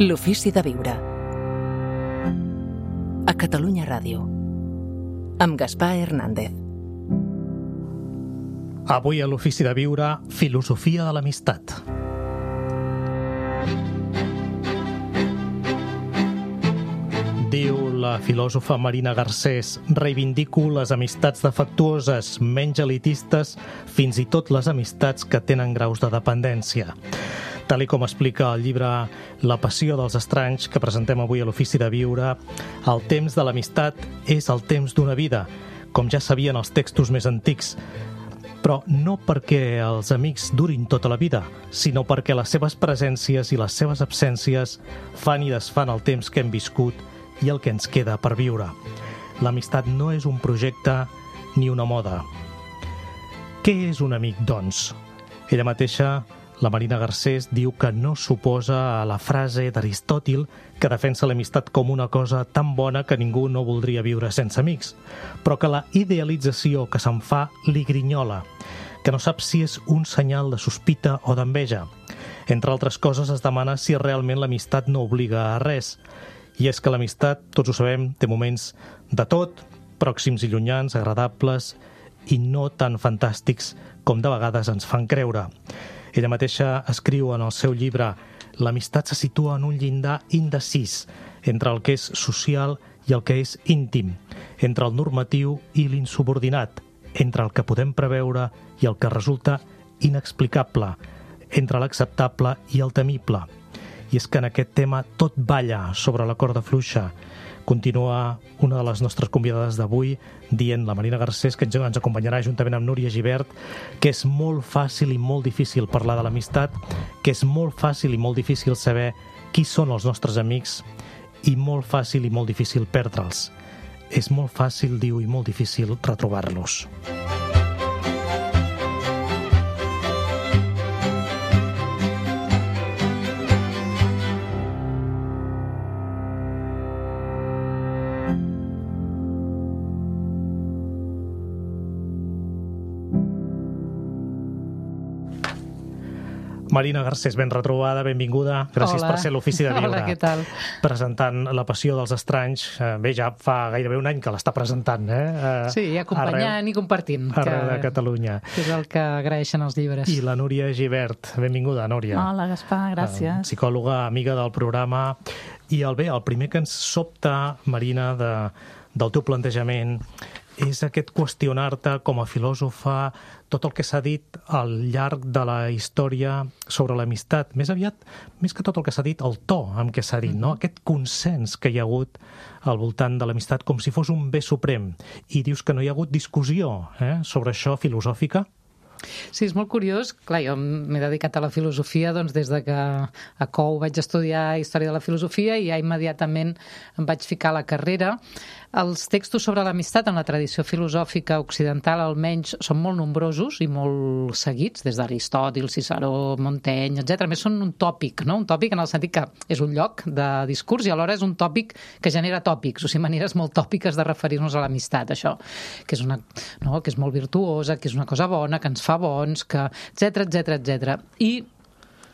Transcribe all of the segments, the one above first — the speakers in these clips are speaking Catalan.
L'ofici de viure. A Catalunya Ràdio. Amb Gaspar Hernández. Avui a l'ofici de viure, filosofia de l'amistat. Diu la filòsofa Marina Garcés: reivindico les amistats defectuoses, menys elitistes, fins i tot les amistats que tenen graus de dependència. Tal com explica el llibre La passió dels estranys, que presentem avui a l'ofici de viure, el temps de l'amistat és el temps d'una vida, com ja sabien els textos més antics, però no perquè els amics durin tota la vida, sinó perquè les seves presències i les seves absències fan i desfan el temps que hem viscut i el que ens queda per viure. L'amistat no és un projecte ni una moda. Què és un amic, doncs? Ella mateixa, la Marina Garcés, diu que no s'oposa a la frase d'Aristòtil que defensa l'amistat com una cosa tan bona que ningú no voldria viure sense amics, però que la idealització que se'n fa li grinyola, que no sap si és un senyal de sospita o d'enveja. Entre altres coses, es demana si realment l'amistat no obliga a res. I és que l'amistat, tots ho sabem, té moments de tot, pròxims i llunyans, agradables i no tan fantàstics com de vegades ens fan creure. Ella mateixa escriu en el seu llibre: l'amistat se situa en un llindar indecis entre el que és social i el que és íntim, entre el normatiu i l'insubordinat, entre el que podem preveure i el que resulta inexplicable, entre l'acceptable i el temible. I és que en aquest tema tot balla sobre la corda fluixa. Continua una de les nostres convidades d'avui dient, la Marina Garcés, que ens acompanyarà juntament amb Núria Gibert, que és molt fàcil i molt difícil parlar de l'amistat, que és molt fàcil i molt difícil saber qui són els nostres amics i molt fàcil i molt difícil perdre'ls. És molt fàcil, diu, i molt difícil retrobar-los. Marina Garcés, ben retrobada, benvinguda. Gràcies per ser a l'ofici de viure. Hola, què tal? Presentant La passió dels estranys. Bé, ja fa gairebé un any que l'està presentant, Sí, acompanyant i compartint. Arreu de Catalunya. Que és el que agraeixen els llibres. I la Núria Gibert. Benvinguda, Núria. Hola, Gaspar, gràcies. Psicòloga, amiga del programa. I el primer que ens sobta, Marina, del teu plantejament és aquest qüestionar-te com a filòsofa tot el que s'ha dit al llarg de la història sobre l'amistat. Més aviat, més que tot el que s'ha dit, el to amb què s'ha dit, no? Aquest consens que hi ha hagut al voltant de l'amistat com si fos un bé suprem. I dius que no hi ha hagut discussió sobre això filosòfica? Sí, és molt curiós. Clar, jo m'he dedicat a la filosofia doncs, des de que a COU vaig estudiar Història de la Filosofia i ja immediatament em vaig ficar a la carrera. Els textos sobre l'amistat en la tradició filosòfica occidental almenys són molt nombrosos i molt seguits, des d'Aristòtil, Ciceró, Montaigne, etc. A més, són un tòpic, no? Un tòpic en el sentit que és un lloc de discurs i alhora és un tòpic que genera tòpics, o sigui, maneres molt tòpiques de referir-nos a l'amistat, això, que és molt virtuosa, que és una cosa bona, que ens fa bons, que etc. I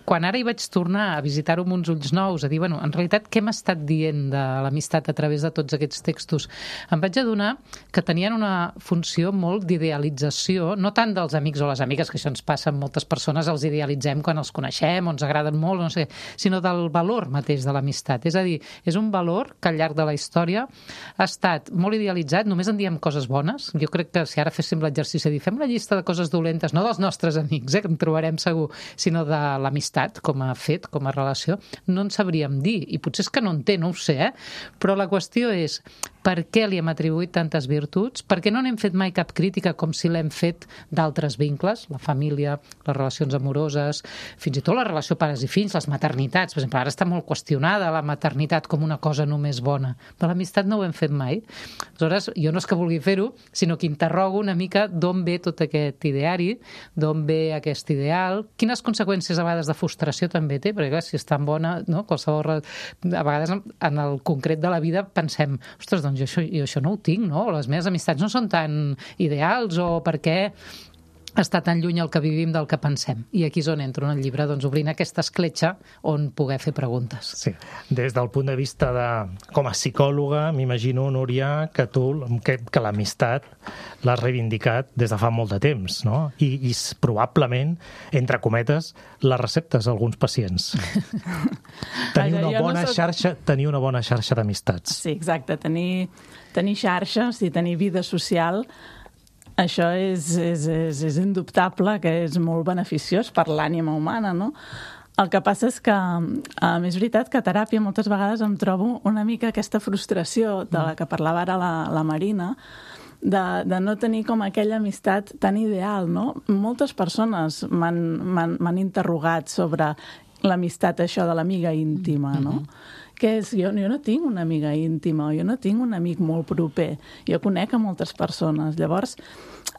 quan ara hi vaig tornar a visitar-ho amb uns ulls nous, a dir, bueno, en realitat, què m'ha estat dient de l'amistat a través de tots aquests textos? Em vaig adonar que tenien una funció molt d'idealització, no tant dels amics o les amigues, que això ens passa amb moltes persones, els idealitzem quan els coneixem o ens agraden molt, no sé, sinó del valor mateix de l'amistat. És a dir, és un valor que al llarg de la història ha estat molt idealitzat, només en diem coses bones. Jo crec que si ara féssim l'exercici de dir, fem una llista de coses dolentes, no dels nostres amics, que en trobarem segur, sinó de l'amistat, com a fet, com a relació, no en sabríem dir. I potser és que no en té, no ho sé, però la qüestió és per què li hem atribuït tantes virtuts, per què no n'hem fet mai cap crítica com si l'hem fet d'altres vincles, la família, les relacions amoroses, fins i tot la relació pares i fills, les maternitats. Per exemple, ara està molt qüestionada la maternitat com una cosa només bona, però l'amistat no ho hem fet mai. Aleshores, jo no és que vulgui fer-ho, sinó que interrogo una mica d'on ve tot aquest ideari, d'on ve aquest ideal, quines conseqüències a vegades de frustració també té, perquè clar, si és tan bona, no? Qualsevol, a vegades en el concret de la vida pensem, ostres, doncs jo això no ho tinc, no? Les meves amistats no són tan ideals, o per què està tan lluny el que vivim del que pensem. I aquí és on entro en el llibre, doncs obrint aquesta escletxa on poder fer preguntes. Sí, des del punt de vista com a psicòloga, m'imagino, Núria, que que l'amistat l'has reivindicat des de fa molt de temps, no? I probablement, entre cometes, les receptes a alguns pacients. Tenir una bona xarxa d'amistats. Sí, exacte. Tenir xarxes i tenir vida social, això és indubtable que és molt beneficiós per l'ànima humana, no? El que passa és que, és veritat que a teràpia moltes vegades em trobo una mica aquesta frustració de la que parlava ara la Marina, de no tenir com aquella amistat tan ideal, no? Moltes persones m'han interrogat sobre l'amistat, això de l'amiga íntima, no? Que és, jo no tinc una amiga íntima, jo no tinc un amic molt proper, jo conec a moltes persones. Llavors,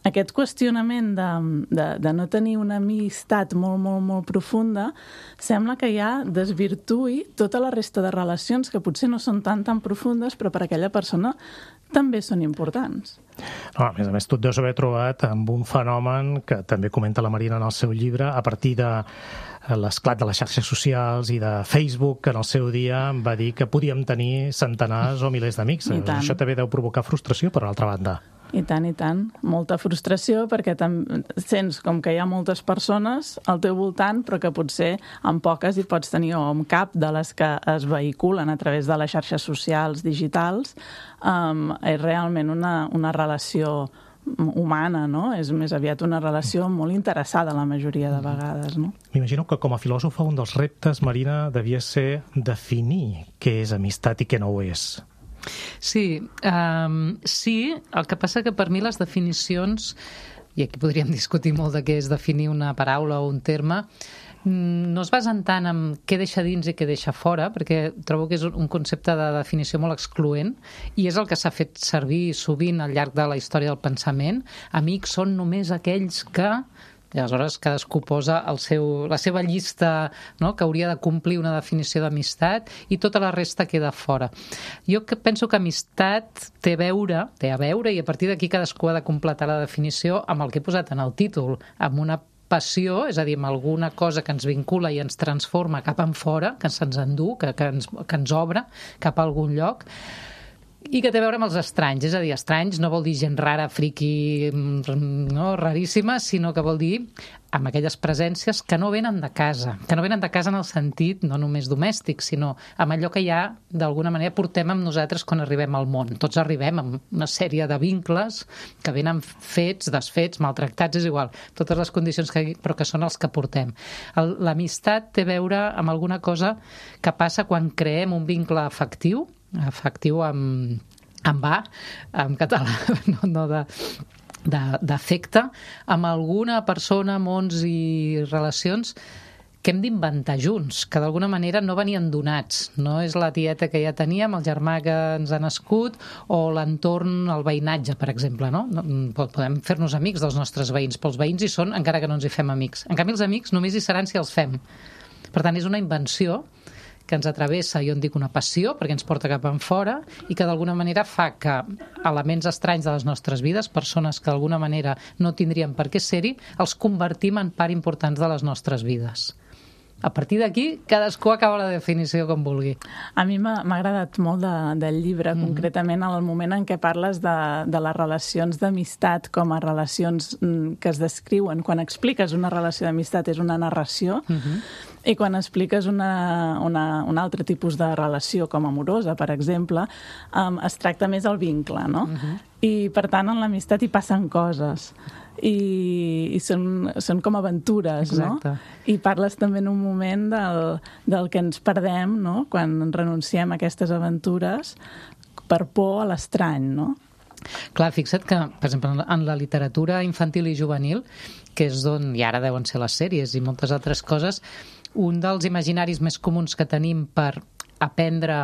aquest qüestionament de no tenir una amistat molt, molt, molt profunda sembla que ja desvirtui tota la resta de relacions que potser no són tan profundes, però per a aquella persona també són importants. No, a més, tu et deus haver trobat amb un fenomen que també comenta la Marina en el seu llibre, a partir de l'esclat de les xarxes socials i de Facebook, que en el seu dia va dir que podíem tenir centenars o milers d'amics. Això també deu provocar frustració, per altra banda. I tant. Molta frustració perquè sents com que hi ha moltes persones al teu voltant, però que potser amb poques hi pots tenir, o amb cap de les que es vehiculen a través de les xarxes socials digitals, és realment una relació humana, no? És més aviat una relació molt interessada la majoria de vegades, no? M'imagino que com a filòsofa un dels reptes, Marina, devia ser definir què és amistat i què no ho és. Sí, el que passa que per mi les definicions, i aquí podríem discutir molt de què és definir una paraula o un terme, no es basen tant en què deixa dins i què deixa fora, perquè trobo que és un concepte de definició molt excloent, i és el que s'ha fet servir sovint al llarg de la història del pensament. Amics són només aquells que... I aleshores cadascú posa la seva llista, no?, que hauria de complir una definició d'amistat, i tota la resta queda fora. Jo penso que amistat té a veure, i a partir d'aquí cadascú ha de completar la definició amb el que he posat en el títol, amb una passió, és a dir, amb alguna cosa que ens vincula i ens transforma cap enfora, que se'ns endú, que ens obre cap a algun lloc, i que té a veure amb els estranys. És a dir, estranys no vol dir gent rara, friqui, no, raríssima, sinó que vol dir amb aquelles presències que no venen de casa, en el sentit no només domèstic, sinó amb allò que ja d'alguna manera portem amb nosaltres quan arribem al món. Tots arribem amb una sèrie de vincles que venen fets, desfets, maltractats, és igual, totes les condicions però que són els que portem. L'amistat té a veure amb alguna cosa que passa quan creem un vincle afectiu amb A, en català, no d'afecte, amb alguna persona, mons i relacions que hem d'inventar junts, que d'alguna manera no venien donats. No és la tieta que ja teníem, el germà que ens ha nascut, o l'entorn, el veïnatge, per exemple, no? Podem fer-nos amics dels nostres veïns, però els veïns hi són encara que no ens hi fem amics. En canvi, els amics només hi seran si els fem. Per tant, és una invenció que ens atravessa, jo en dic una passió, perquè ens porta cap enfora, i que d'alguna manera fa que elements estranys de les nostres vides, persones que d'alguna manera no tindrien per què ser-hi, els convertim en part importants de les nostres vides. A partir d'aquí, cadascú acaba la definició com vulgui. A mi m'ha agradat molt del llibre, concretament en el moment en què parles de les relacions d'amistat com a relacions que es descriuen. Quan expliques una relació d'amistat és una narració, i quan expliques un altre tipus de relació, com amorosa, per exemple, es tracta més el vincle, no? I, per tant, en l'amistat hi passen coses. I són com aventures, no? I parles també en un moment del que ens perdem, no?, quan renunciem a aquestes aventures per por a l'estrany, no? Clar, fixa't que, per exemple, en la literatura infantil i juvenil, que és d'on, i ara deuen ser les sèries i moltes altres coses, un dels imaginaris més comuns que tenim per aprendre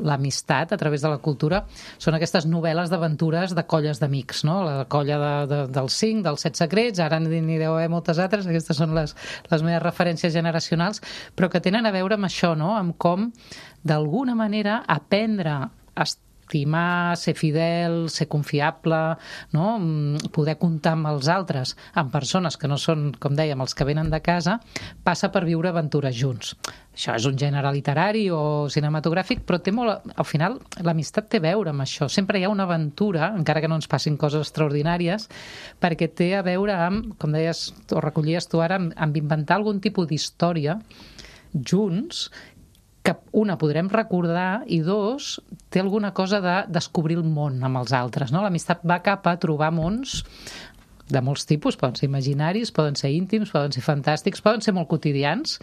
l'amistat a través de la cultura són aquestes novel·les d'aventures de colles d'amics, no? La colla dels 5, dels 7 secrets, ara n'hi deu haver moltes altres, aquestes són les meves referències generacionals, però que tenen a veure amb això, no?, amb com, d'alguna manera, aprendre estimar, ser fidel, ser confiable, no? Poder comptar amb els altres, amb persones que no són, com dèiem, els que venen de casa, passa per viure aventures junts. Això és un gènere literari o cinematogràfic, però té molt, al final l'amistat té a veure amb això. Sempre hi ha una aventura, encara que no ens passin coses extraordinàries, perquè té a veure amb, com deies o recollies tu ara, amb inventar algun tipus d'història junts, que una podrem recordar i dos, té alguna cosa de descobrir el món amb els altres, no? L'amistat va cap a trobar mons de molts tipus, poden ser imaginaris, poden ser íntims, poden ser fantàstics, poden ser molt quotidians,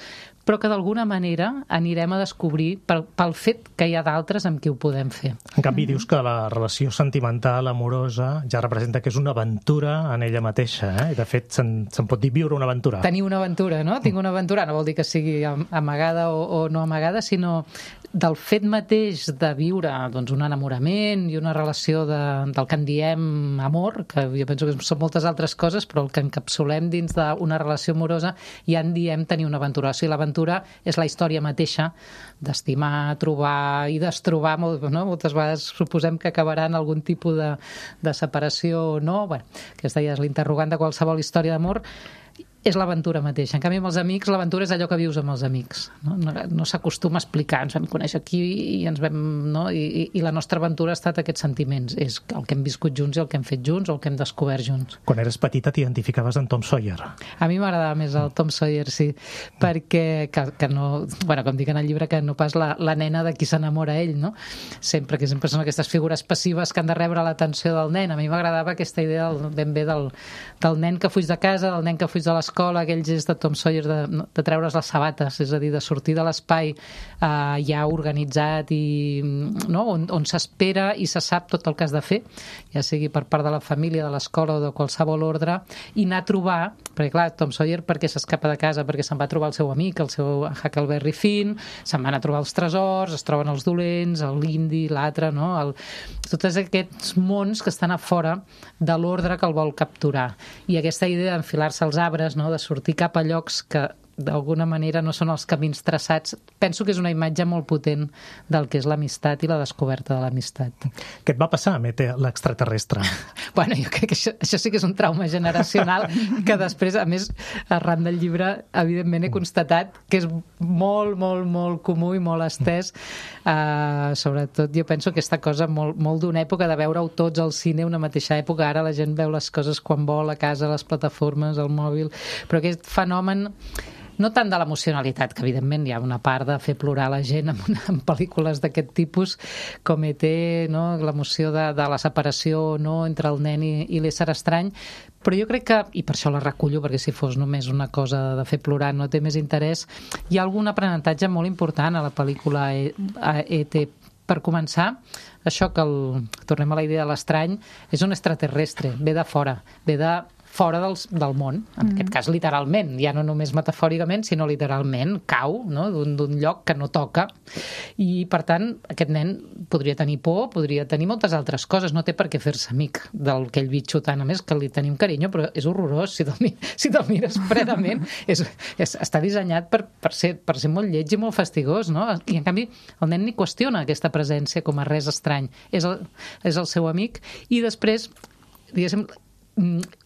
però que d'alguna manera anirem a descobrir pel fet que hi ha d'altres amb qui ho podem fer. En canvi, dius que la relació sentimental, amorosa, ja representa que és una aventura en ella mateixa, eh? I de fet, se'n pot dir viure una aventura. Tenir una aventura, no? Tinc una aventura, no vol dir que sigui amagada o no amagada, sinó del fet mateix de viure doncs, un enamorament i una relació del que en diem amor, que jo penso que són moltes altres coses, però el que encapsulem dins d'una relació amorosa ja en diem tenir una aventura. O sigui, l'aventura és la història mateixa d'estimar, trobar i destrobar, no? Moltes vegades suposem que acabarà en algun tipus de separació o no. Bueno, aquesta ja és l'interrogant de qualsevol història d'amor. És l'aventura mateixa. En canvi, amb els amics, l'aventura és allò que vius amb els amics. No s'acostuma a explicar, ens vam conèixer aquí i ens vam... No? I la nostra aventura ha estat aquests sentiments. És el que hem viscut junts i el que hem fet junts o el que hem descobert junts. Quan eres petita t'identificaves amb Tom Sawyer. A mi m'agradava més el Tom Sawyer, sí, perquè que no... Bueno, com dic en el llibre, que no pas la nena de qui s'enamora ell, no? Sempre són aquestes figures passives que han de rebre l'atenció del nen. A mi m'agradava aquesta idea ben bé del nen que fuig de casa, del nen que fuig de l'escola, aquell gest de Tom Sawyer de treure's les sabates, és a dir, de sortir de l'espai ja organitzat i no? on s'espera i se sap tot el que has de fer, ja sigui per part de la família, de l'escola o de qualsevol ordre, i anar a trobar, perquè clar, Tom Sawyer perquè s'escapa de casa, perquè se'n va trobar el seu amic, el seu Huckleberry Finn, se'n van a trobar els tresors, es troben els dolents, l'indi, l'altre, no? Tots aquests mons que estan a fora de l'ordre que el vol capturar. I aquesta idea d'enfilar-se als arbres, no? De sortir cap a llocs que d'alguna manera no són els camins traçats, penso que és una imatge molt potent del que és l'amistat i la descoberta de l'amistat. Què et va passar amb ET, l'extraterrestre? Bueno, jo crec que això sí que és un trauma generacional que després, a més, arran del llibre, evidentment he constatat que és molt, molt, molt comú i molt estès. Sobretot, jo penso que aquesta cosa molt d'una època de veure-ho tots al cine, una mateixa època. Ara la gent veu les coses quan vol, a casa, a les plataformes, al mòbil, però aquest fenomen no tant de l'emocionalitat, que evidentment hi ha una part de fer plorar la gent en pel·lícules d'aquest tipus, com ET, no? L'emoció de la separació no? Entre el nen i l'ésser estrany, però jo crec que, i per això la recullo, perquè si fos només una cosa de fer plorar no té més interès, hi ha algun aprenentatge molt important a la pel·lícula ET. Per començar, això que tornem a la idea de l'estrany, és un extraterrestre, ve de fora, ve de fora del món, en aquest cas literalment, ja no només metafòricament, sinó literalment, cau, no? d'un lloc que no toca, i per tant aquest nen podria tenir por, podria tenir moltes altres coses, no té per què fer-se amic d'aquell bitxo tant, a més que li tenim carinyo, però és horrorós, si te'l mires fredament, està dissenyat per ser molt lleig i molt fastigós, no? I en canvi el nen ni qüestiona aquesta presència com a res estrany, és el seu amic, i després, diguéssim,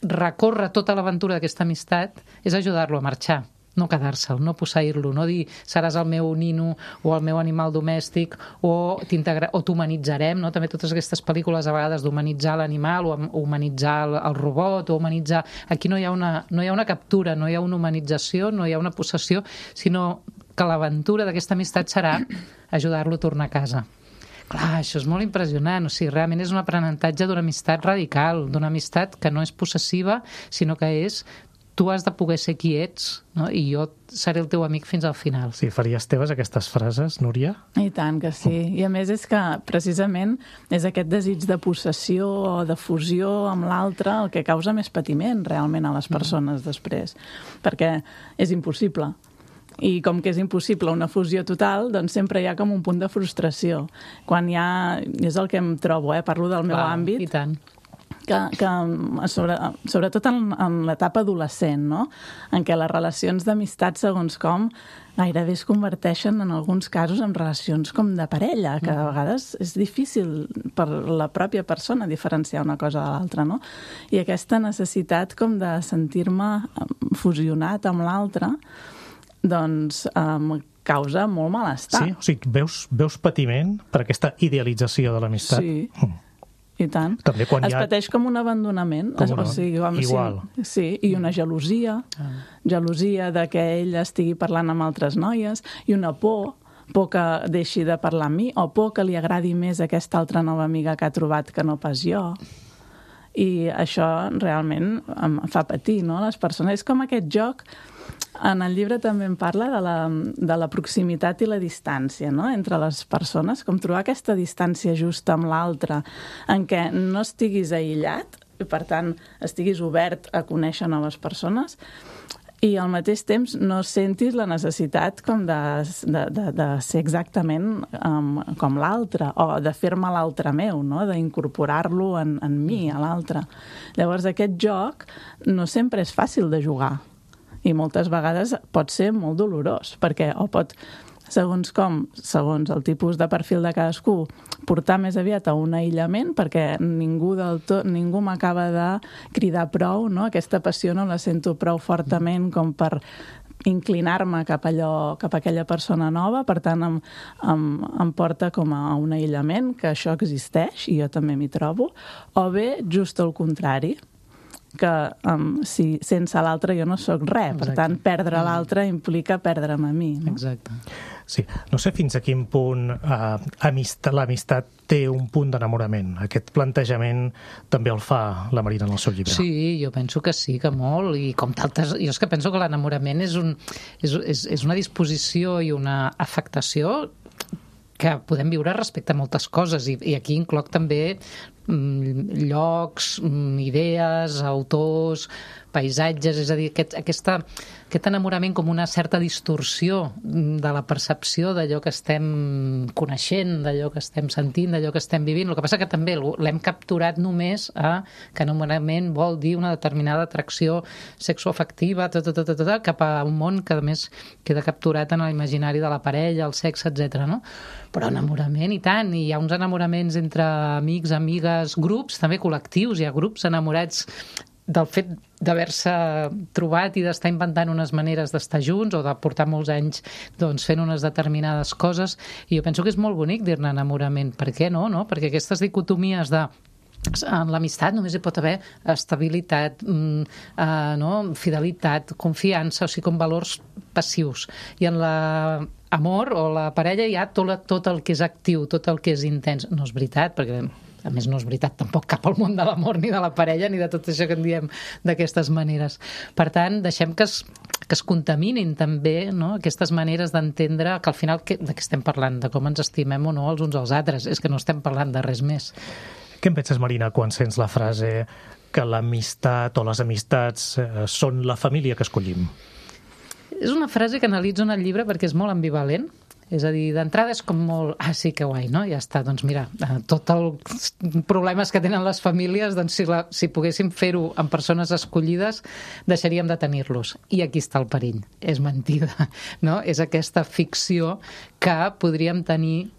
recórrer tota l'aventura d'aquesta amistat és ajudar-lo a marxar, no quedar-se'l, no posseir-lo, no dir seràs el meu nino o el meu animal domèstic o t'humanitzarem, no? També totes aquestes pel·lícules a vegades d'humanitzar l'animal o humanitzar el robot o humanitzar... Aquí no hi ha una captura, no hi ha una humanització, no hi ha una possessió, sinó que l'aventura d'aquesta amistat serà ajudar-lo a tornar a casa. Clar, això és molt impressionant, o sigui, realment és un aprenentatge d'una amistat radical, d'una amistat que no és possessiva, sinó que és tu has de poder ser qui ets, no? I jo seré el teu amic fins al final. Sí, faries teves aquestes frases, Núria? I tant que sí. I a més és que precisament és aquest desig de possessió o de fusió amb l'altre el que causa més patiment realment a les persones després, perquè és impossible. I com que és impossible una fusió total, doncs sempre hi ha com un punt de frustració. Quan hi ha... És el que em trobo, parlo del meu àmbit. I tant. sobretot en l'etapa adolescent, no? En què les relacions d'amistat, segons com, gairebé es converteixen en alguns casos en relacions com de parella, que a vegades és difícil per la pròpia persona diferenciar una cosa de l'altra, no? I aquesta necessitat com de sentir-me fusionat amb l'altre, doncs causa molt malestar. Sí? O sigui, veus patiment per aquesta idealització de l'amistat? Sí. I tant. També quan es pateix com un abandonament. Igual. Sí, i una gelosia. Gelosia de que ell estigui parlant amb altres noies, i una por que deixi de parlar amb mi, o por que li agradi més aquesta altra nova amiga que ha trobat que no pas jo. I això realment em fa patir, no? Les persones. És com aquest joc. En el llibre també en parla de la proximitat i la distància, no? Entre les persones, com trobar aquesta distància justa amb l'altre, en què no estiguis aïllat, i per tant estiguis obert a conèixer noves persones, i al mateix temps no sentis la necessitat com de ser exactament com l'altre, o de fer-me l'altre meu, no? D'incorporar-lo en mi, a l'altre. Llavors aquest joc no sempre és fàcil de jugar, i moltes vegades pot ser molt dolorós, perquè o pot, segons el tipus de perfil de cadascú, portar més aviat a un aïllament, perquè ningú m'acaba de cridar prou, no? Aquesta passió no la sento prou fortament com per inclinar-me cap a aquella persona nova, per tant em porta com a un aïllament, que això existeix, i jo també m'hi trobo, o bé just el contrari, que si sense l'altre jo no sóc res. Per tant, perdre l'altre implica perdre'm a mi. No? Exacte. Sí. No sé fins a quin punt l'amistat té un punt d'enamorament. Aquest plantejament també el fa la Marina en el seu llibre. Sí, jo penso que sí, que molt, i com tantes... Jo és que penso que l'enamorament és una disposició i una afectació que podem viure respecte a moltes coses, i aquí incloc també llocs, idees, autors, paisatges, és a dir, aquest enamorament com una certa distorsió de la percepció d'allò que estem coneixent, d'allò que estem sentint, d'allò que estem vivint. El que passa que també l'hem capturat només que enamorament vol dir una determinada atracció sexoafectiva cap a un món que a més queda capturat en l'imaginari de la parella, el sexe, etc. No? Però enamorament i tant, i hi ha uns enamoraments entre amics, amigues, grups, també col·lectius, hi ha grups enamorats del fet d'haver-se trobat i d'estar inventant unes maneres d'estar junts o de portar molts anys fent unes determinades coses, i jo penso que és molt bonic dir-ne enamorament. Per què no? Perquè aquestes dicotomies en l'amistat només hi pot haver estabilitat, fidelitat, confiança, o sigui, com valors passius. I en l'amor o la parella hi ha tot el que és actiu, tot el que és intens. No és veritat, perquè a més no és veritat tampoc cap al món de l'amor ni de la parella ni de tot això que en diem d'aquestes maneres. Per tant, deixem que es contaminin també, no? Aquestes maneres d'entendre que al final de què estem parlant, de com ens estimem o no els uns als altres, és que no estem parlant de res més. Què en penses, Marina, quan sents la frase que l'amistat o les amistats són la família que escollim? És una frase que analitzo en el llibre perquè és molt ambivalent. És a dir, d'entrada és com molt... sí, que guai, no? Ja està, doncs mira, tots els problemes que tenen les famílies, doncs si poguéssim fer-ho amb persones escollides, deixaríem de tenir-los. I aquí està el perill. És mentida, no? És aquesta ficció que podríem tenir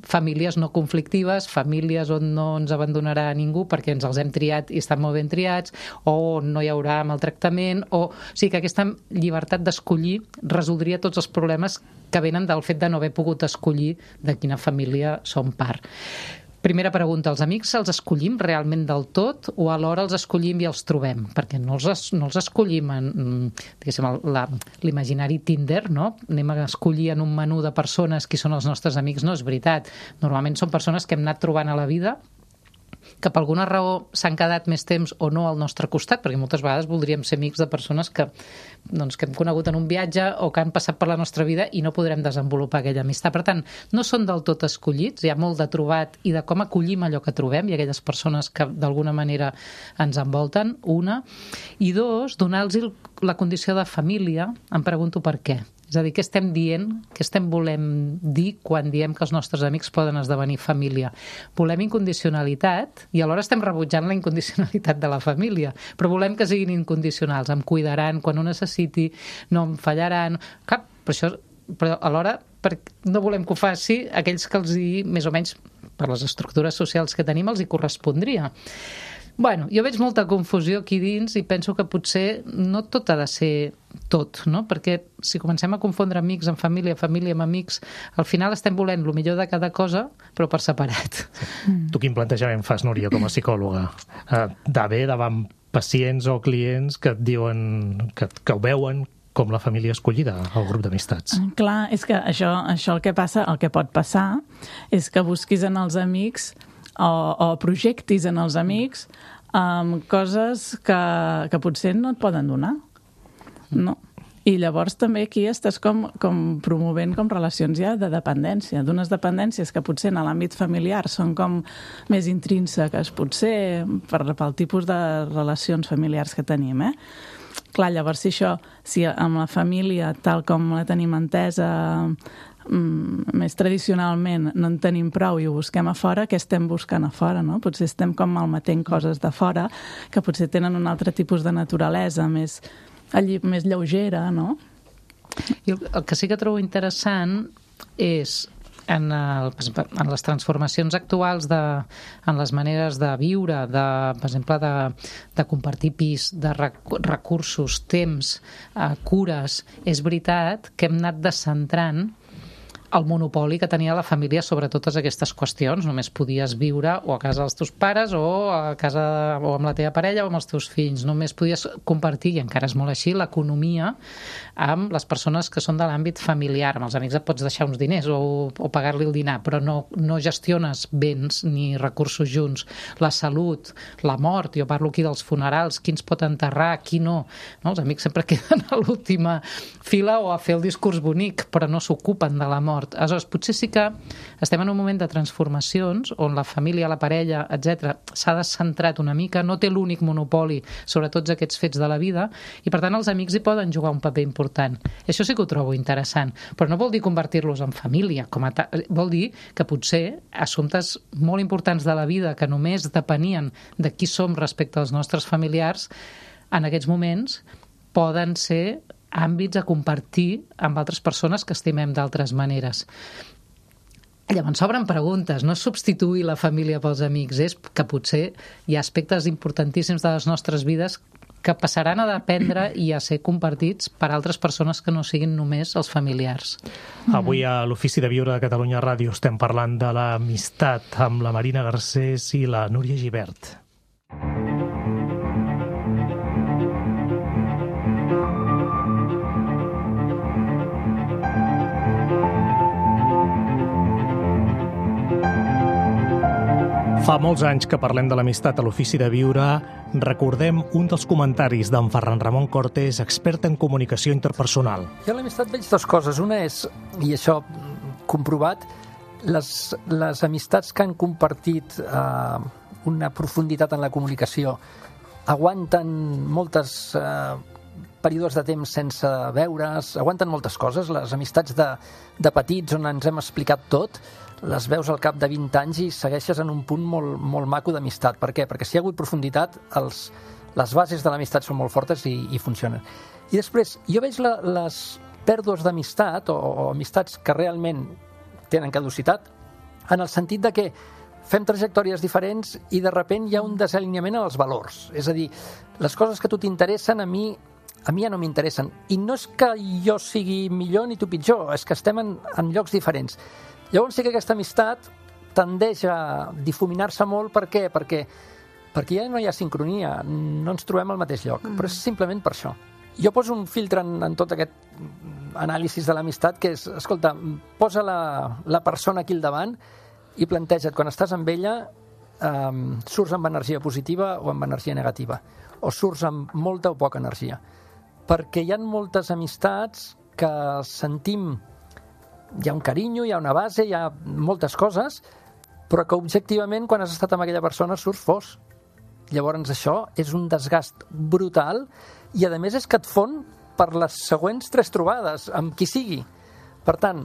famílies no conflictives, famílies on no ens abandonarà ningú perquè ens els hem triat i estan molt ben triats, o no hi haurà maltractament, o sigui que aquesta llibertat d'escollir resoldria tots els problemes que venen del fet de no haver pogut escollir de quina família som part. Primera pregunta, els amics els escollim realment del tot o alhora els escollim i els trobem? Perquè no els escollim en l'imaginari Tinder, no? Anem a escollir en un menú de persones qui són els nostres amics. No és veritat. Normalment són persones que hem anat trobant a la vida, que per alguna raó s'han quedat més temps o no al nostre costat, perquè moltes vegades voldríem ser amics de persones que hem conegut en un viatge o que han passat per la nostra vida i no podrem desenvolupar aquella amistat. Per tant, no són del tot escollits, hi ha molt de trobat i de com acollim allò que trobem i aquelles persones que d'alguna manera ens envolten, una. I dos, donar-los la condició de família, em pregunto per què. És a dir, què estem dient, què estem volem dir quan diem que els nostres amics poden esdevenir família? Volem incondicionalitat i alhora estem rebutjant la incondicionalitat de la família, però volem que siguin incondicionals, em cuidaran quan ho necessiti, no em fallaran... Però alhora no volem que ho faci aquells que els hi, més o menys, per les estructures socials que tenim, els hi correspondria. Bueno, jo veig molta confusió aquí dins i penso que potser no tot ha de ser tot, no? Perquè si comencem a confondre amics amb família, família amb amics, al final estem volent el millor de cada cosa, però per separat. Tu quin plantejament fas, Núria, com a psicòloga? D'haver davant pacients o clients que et diuen que ho veuen com la família escollida al grup d'amistats. Clar, és que això el que passa, el que pot passar és que busquis en els amics o projectis en els amics coses que potser no et poden donar. No. I llavors també aquí estàs com promovent com relacions ja de dependència, d'unes dependències que potser en l'àmbit familiar són com més intrínseques, potser pel tipus de relacions familiars que tenim, Clar, llavors si amb la família tal com la tenim entesa més tradicionalment no en tenim prou i ho busquem a fora, què estem buscant a fora, no? Potser estem com malmetent coses de fora que potser tenen un altre tipus de naturalesa més lleugera, no? I el que sí que trobo interessant és en les transformacions actuals en les maneres de viure, per exemple, de compartir pis, de recursos, temps, cures, és veritat que hem anat descentrant el monopoli que tenia la família sobre totes aquestes qüestions. Només podies viure o a casa dels teus pares o a casa o amb la teva parella o amb els teus fills. Només podies compartir, i encara és molt així, l'economia amb les persones que són de l'àmbit familiar. Amb els amics et pots deixar uns diners o pagar-li el dinar, però no gestiones béns ni recursos junts. La salut, la mort, jo parlo aquí dels funerals, qui ens pot enterrar, qui no. Els amics sempre queden a l'última fila o a fer el discurs bonic, però no s'ocupen de la mort. Aleshores, potser sí que estem en un moment de transformacions on la família, la parella, etc., s'ha descentrat una mica, no té l'únic monopoli sobre tots aquests fets de la vida i, per tant, els amics hi poden jugar un paper important. Això sí que ho trobo interessant, però no vol dir convertir-los en família, vol dir que potser assumptes molt importants de la vida que només depenien de qui som respecte als nostres familiars, en aquests moments poden ser àmbits a compartir amb altres persones que estimem d'altres maneres. Llavors s'obren preguntes, no és substituir la família pels amics, és que potser hi ha aspectes importantíssims de les nostres vides que passaran a dependre i a ser compartits per altres persones que no siguin només els familiars. Avui a l'Ofici de Viure de Catalunya Ràdio estem parlant de l'amistat amb la Marina Garcés i la Núria Gibert. Fa molts anys que parlem de l'amistat a l'Ofici de Viure. Recordem un dels comentaris d'en Ferran Ramon Cortés, expert en comunicació interpersonal. Jo a l'amistat veig dues coses. Una és, i això comprovat, les amistats que han compartit una profunditat en la comunicació aguanten moltes períodes de temps sense veure's, aguanten moltes coses. Les amistats de petits on ens hem explicat tot, les veus al cap de 20 anys i segueixes en un punt molt maco d'amistat. Per què? Perquè si hi ha hagut profunditat, les bases de l'amistat són molt fortes i funcionen. I després, jo veig les pèrdues d'amistat o amistats que realment tenen caducitat en el sentit de que fem trajectòries diferents i de sobte hi ha un desalineament en els valors. És a dir, les coses que a tu t'interessen a mi ja no m'interessen. I no és que jo sigui millor ni tu pitjor, és que estem en llocs diferents. Llavors sí que aquesta amistat tendeix a difuminar-se molt. Per què? Perquè ja no hi ha sincronia, no ens trobem al mateix lloc, però és simplement per això. Jo poso un filtre en tot aquest anàlisi de l'amistat, que és, escolta, posa la persona aquí al davant i planteja't, quan estàs amb ella, surts amb energia positiva o amb energia negativa, o surts amb molta o poca energia. Perquè hi ha moltes amistats que sentim, hi ha un carinyo, hi ha una base, hi ha moltes coses, però que objectivament quan has estat amb aquella persona surts fos. Llavors això és un desgast brutal i a més és que et fon per les següents 3 trobades, amb qui sigui. Per tant,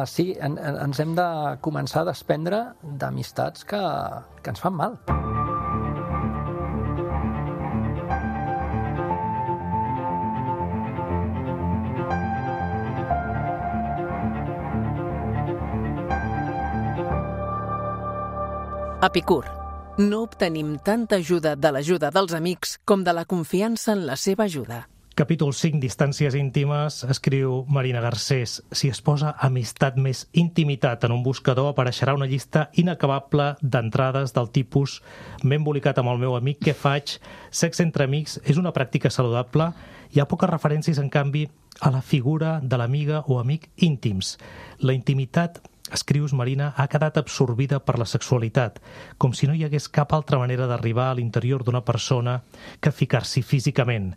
sí, ens hem de començar a desprendre d'amistats que ens fan mal. Epicur. No obtenim tanta ajuda de l'ajuda dels amics com de la confiança en la seva ajuda. Capítol 5, distàncies íntimes, escriu Marina Garcés. Si es posa amistat més intimitat en un buscador, apareixerà una llista inacabable d'entrades del tipus «M'he embolicat amb el meu amic, què faig?», «Sexe entre amics és una pràctica saludable?». Hi ha poques referències, en canvi, a la figura de l'amiga o amic íntims. La intimitat, escrius, Marina, ha quedat absorbida per la sexualitat, com si no hi hagués cap altra manera d'arribar a l'interior d'una persona que ficar-s'hi físicament.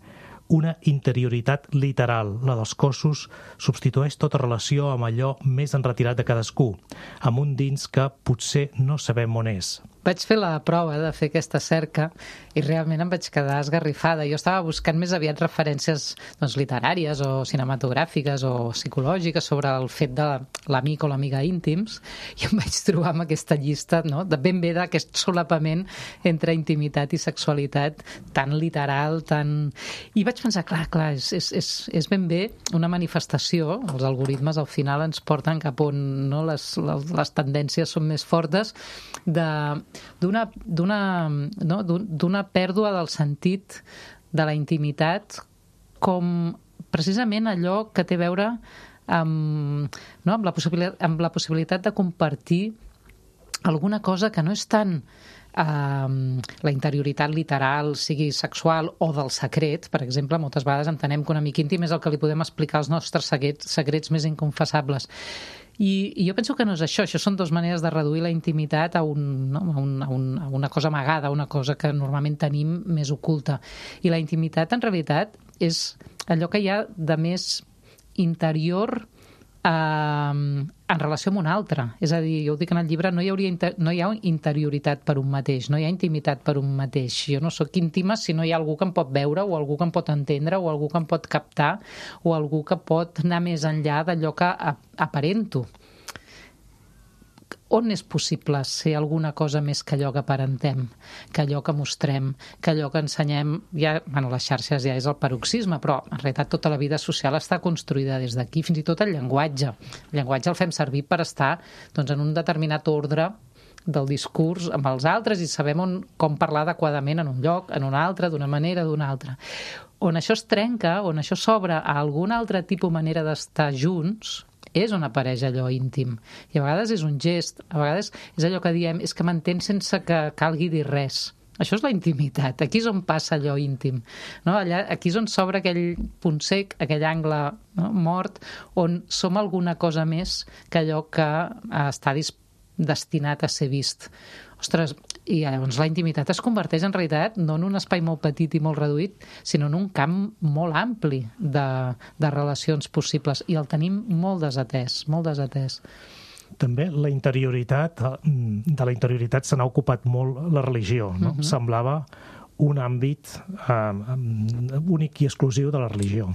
Una interioritat literal, la dels cossos, substitueix tota relació amb allò més enretirat de cadascú, amb un dins que potser no sabem on és. Vaig fer la prova de fer aquesta cerca i realment em vaig quedar esgarrifada. Jo estava buscant més aviat referències literàries o cinematogràfiques o psicològiques sobre el fet de l'amic o l'amiga íntims i em vaig trobar amb aquesta llista de ben bé d'aquest solapament entre intimitat i sexualitat tan literal, tan... I vaig pensar, clar, és ben bé una manifestació, els algoritmes al final ens porten cap on les tendències són més fortes, d'una pèrdua del sentit de la intimitat com precisament allò que té a veure amb la possibilitat de compartir alguna cosa que no és tant la interioritat literal, sigui sexual o del secret. Per exemple, moltes vegades entenem que un amic íntim és el que li podem explicar els nostres secrets més inconfessables. I jo penso que no és això són dues maneres de reduir la intimitat a una cosa amagada, una cosa que normalment tenim més oculta. I la intimitat, en realitat, és allò que hi ha de més interior en relació amb un altre. És a dir, jo ho dic en el llibre, no hi ha interioritat per un mateix, no hi ha intimitat per un mateix. Jo no sóc íntima si no hi ha algú que em pot veure o algú que em pot entendre o algú que em pot captar o algú que pot anar més enllà d'allò que aparento. On és possible ser alguna cosa més que allò que aparentem, que allò que mostrem, que allò que ensenyem? Les xarxes ja és el paroxisme, però en realitat tota la vida social està construïda des d'aquí, fins i tot el llenguatge. El llenguatge el fem servir per estar en un determinat ordre del discurs amb els altres i sabem com parlar adequadament en un lloc, en un altre, d'una manera, d'una altra. On això es trenca, on això s'obre a algun altre tipus manera d'estar junts, és on apareix allò íntim. I a vegades és un gest, a vegades és allò que diem, és que m'entén sense que calgui dir res. Això és la intimitat. Aquí és on passa allò íntim. Aquí és on s'obre aquell punt sec, aquell angle mort, on som alguna cosa més que allò que està destinat a ser vist. Ostres, i llavors la intimitat es converteix en realitat no en un espai molt petit i molt reduït, sinó en un camp molt ampli de relacions possibles, i el tenim molt desatès, molt desatès. També de la interioritat se n'ha ocupat molt la religió, no? Semblava un àmbit únic i exclusiu de la religió.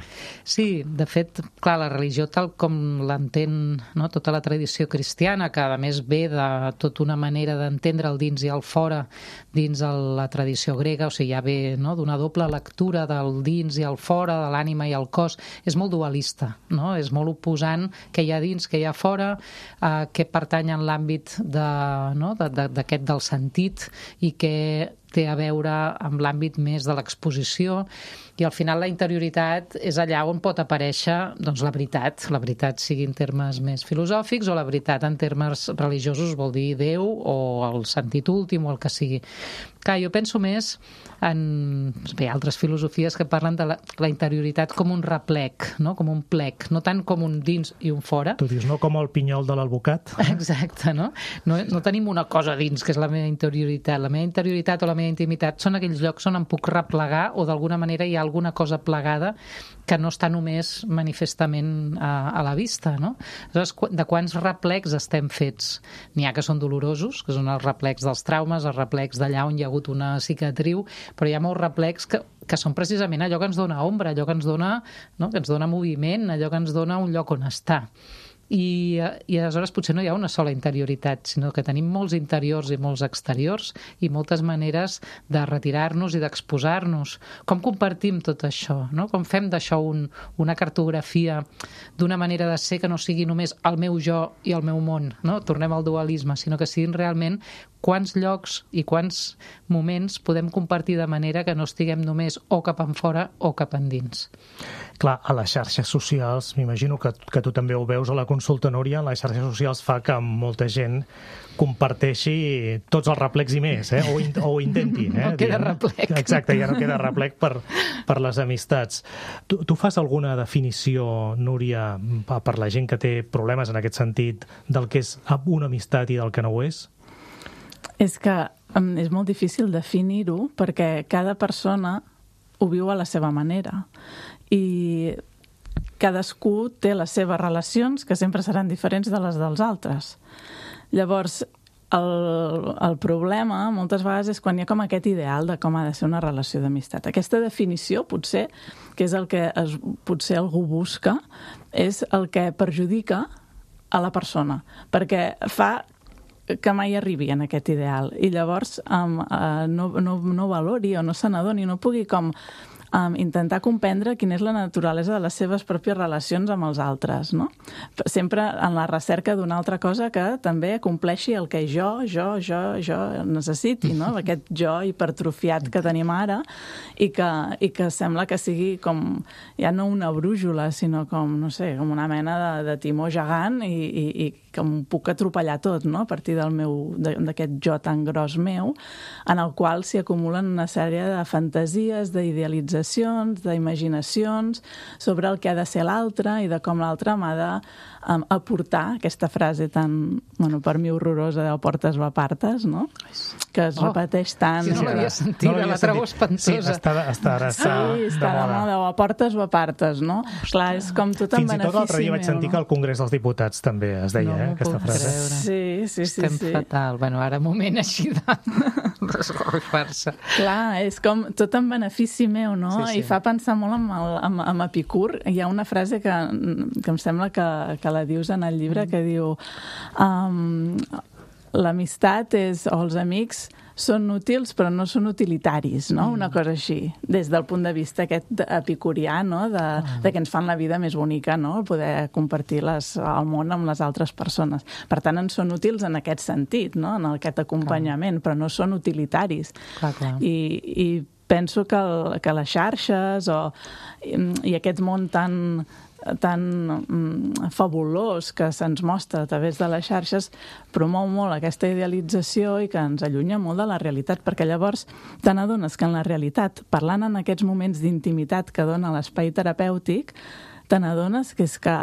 Sí, de fet, clar, la religió tal com l'entén tota la tradició cristiana, que a més ve de tota una manera d'entendre el dins i el fora dins la tradició grega, o sigui, ja ve d'una doble lectura del dins i el fora, de l'ànima i el cos, és molt dualista, és molt oposant què hi ha dins, què hi ha fora, què pertany en l'àmbit d'aquest del sentit i què té a veure amb l'àmbit més de l'exposició, i al final la interioritat és allà on pot aparèixer la veritat sigui en termes més filosòfics o la veritat en termes religiosos, vol dir Déu o el sentit últim o el que sigui. Clar, jo penso més en altres filosofies que parlen de la interioritat com un replec, com un plec, no tant com un dins i un fora. Tu dius, no com el pinyol de l'alvocat? Exacte, no? No tenim una cosa dins, que és la meva interioritat. La meva interioritat o la meva intimitat són aquells llocs on em puc replegar o d'alguna manera hi ha alguna cosa plegada que no està només manifestament a la vista, no? Aleshores, de quants replecs estem fets? N'hi ha que són dolorosos, que són els replecs dels traumes, els replecs d'allà on hi ha hagut una cicatriu, però hi ha molts replecs que són precisament allò que ens dona ombra, allò que ens dona, no? Que ens dona moviment, allò que ens dona un lloc on estar. I aleshores potser no hi ha una sola interioritat, sinó que tenim molts interiors i molts exteriors i moltes maneres de retirar-nos i d'exposar-nos. Com compartim tot això? No? Com fem d'això una cartografia d'una manera de ser que no sigui només el meu jo i el meu món, no? Tornem al dualisme, sinó que siguin realment quants llocs i quants moments podem compartir de manera que no estiguem només o cap enfora o cap endins. Clar, a les xarxes socials, m'imagino que tu també ho veus a la consulta, Núria, les xarxes socials fa que molta gent comparteixi tots els replecs i més, o ho intenti. No queda replec. Exacte, ja no queda replec per les amistats. Tu fas alguna definició, Núria, per la gent que té problemes en aquest sentit, del que és una amistat i del que no ho és? És que és molt difícil definir-ho perquè cada persona ho viu a la seva manera i cadascú té les seves relacions que sempre seran diferents de les dels altres. Llavors, el problema moltes vegades és quan hi ha com aquest ideal de com ha de ser una relació d'amistat. Aquesta definició, potser, que és el que potser algú busca, és el que perjudica a la persona, perquè fa que mai arribi en aquest ideal i llavors no valori o no se n'adoni, no pugui com intentar comprendre quina és la naturalesa de les seves pròpies relacions amb els altres, no? Sempre en la recerca d'una altra cosa que també compleixi el que jo necessiti, no? Aquest jo hipertrofiat que tenim ara i que sembla que sigui com, ja no una brújula, sinó com, no sé, com una mena de timó gegant i que em puc atropellar tot, no? A partir d'aquest jo tan gros meu, en el qual s'hi acumulen una sèrie de fantasies, d'idealitzacions, d'imaginacions sobre el que ha de ser l'altre i de com l'altre m'ha d'aportar aquesta frase tan, bueno, per mi horrorosa de portes va partes, no? Que es repeteix tant. Si no l'havia sentit, la trobo espantosa. Sí, està de moda, o a portes o a partes, no? Clar, és com tot en benefici meu. Fins i tot l'altre dia vaig sentir que al Congrés dels Diputats també es deia, aquesta frase. Sí. Estem fatal. Bueno, ara moment així de desgorfar-se. Clar, és com tot en benefici meu, no? I fa pensar molt en Epicur. Hi ha una frase que em sembla que la dius en el llibre, que diu l'amistat o els amics són útils però no són utilitaris, no? Una cosa així, des del punt de vista aquest epicurià, no? De que ens fan la vida més bonica, no? Poder compartir el món amb les altres persones. Per tant, ens són útils en aquest sentit, no? En aquest acompanyament, però no són utilitaris. Clar. I penso que les xarxes i aquest món tan fabulós que se'ns mostra a través de les xarxes promou molt aquesta idealització i que ens allunya molt de la realitat, perquè llavors te n'adones que en la realitat, parlant en aquests moments d'intimitat que dona l'espai terapèutic, te n'adones que és que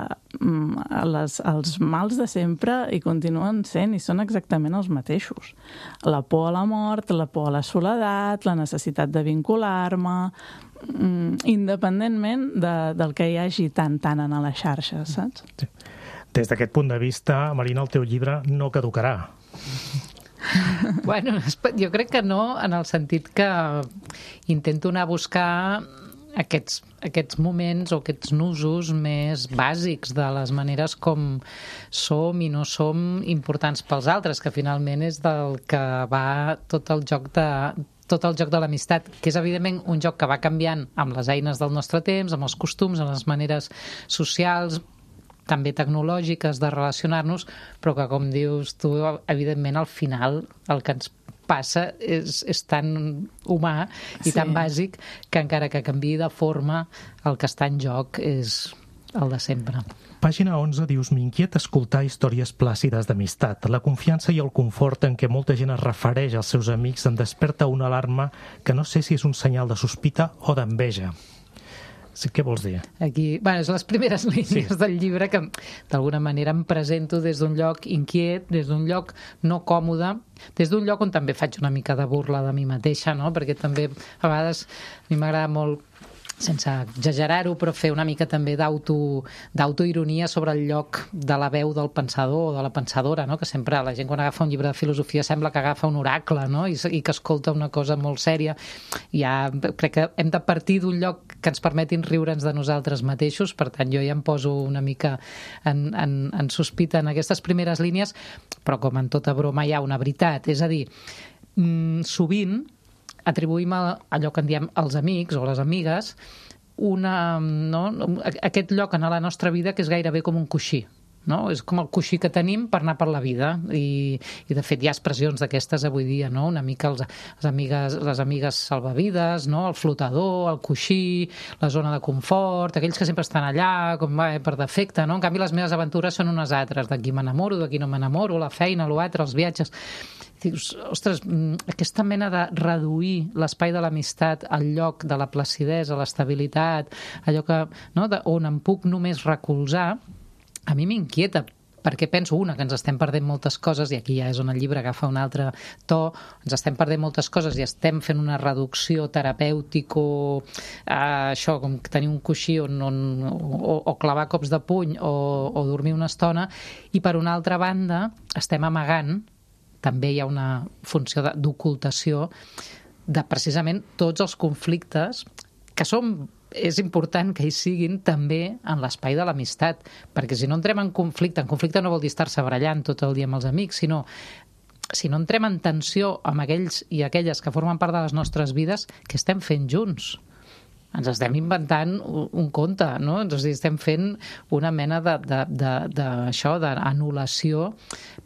els mals de sempre hi continuen sent i són exactament els mateixos. La por a la mort, la por a la soledat, la necessitat de vincular-me, independentment del que hi hagi tant en les xarxes, saps? Sí. Des d'aquest punt de vista, Marina, el teu llibre no caducarà. Bueno, jo crec que no, en el sentit que intento anar a buscar aquests moments o aquests nusos més bàsics de les maneres com som i no som importants pels altres, que finalment és del que va tot el joc de l'amistat, que és evidentment un joc que va canviant amb les eines del nostre temps, amb els costums, amb les maneres socials, també tecnològiques de relacionar-nos, però que, com dius tu, evidentment al final el que ens passa és tan humà i tan bàsic que encara que canviï de forma, el que està en joc és el de sempre. Pàgina 11 dius: m'inquieta escoltar històries plàcides d'amistat. La confiança i el confort en què molta gent es refereix als seus amics em desperta una alarma que no sé si és un senyal de sospita o d'enveja. Sí, què vols dir? Aquí, bueno, són les primeres línies del llibre que d'alguna manera em presento des d'un lloc inquiet, des d'un lloc no còmode, des d'un lloc on també faig una mica de burla de mi mateixa, no? Perquè també a vegades a mi m'agrada molt sense exagerar-ho, però fer una mica també d'autoironia sobre el lloc de la veu del pensador o de la pensadora, no? Que sempre la gent quan agafa un llibre de filosofia sembla que agafa un oracle, no? I que escolta una cosa molt sèria. Crec que hem de partir d'un lloc que ens permetin riure'ns de nosaltres mateixos, per tant jo ja em poso una mica en sospita en aquestes primeres línies, però com en tota broma hi ha una veritat, és a dir, sovint atribuïm a allò que en diem els amics o les amigues aquest lloc en la nostra vida que és gairebé com un coixí, no? És com el coixí que tenim per anar per la vida i de fet hi ha expressions d'aquestes avui dia, no? Una mica les amigues salvavides, no? El flotador, el coixí, la zona de confort, aquells que sempre estan allà com per defecte, no? En canvi les meves aventures són unes altres, d'aquí m'enamoro, d'aquí no m'enamoro, la feina, l'altre, els viatges. Dius, ostres, aquesta mena de reduir l'espai de l'amistat al lloc de la placidesa, l'estabilitat, allò que, no? On em puc només recolzar, a mi m'inquieta, perquè penso, que ens estem perdent moltes coses, i aquí ja és on el llibre agafa un altre to, ens estem perdent moltes coses i estem fent una reducció terapèutica, això, com tenir un coixí o clavar cops de puny o dormir una estona, i per una altra banda estem amagant, també hi ha una funció d'ocultació de precisament tots els conflictes que és important que hi siguin també en l'espai de l'amistat, perquè si no entrem en conflicte no vol dir estar-se barallant tot el dia amb els amics, sinó si no entrem en tensió amb aquells i aquelles que formen part de les nostres vides, què estem fent junts? Ens estem inventant un conte, no? Ens estem fent una mena d'anul·lació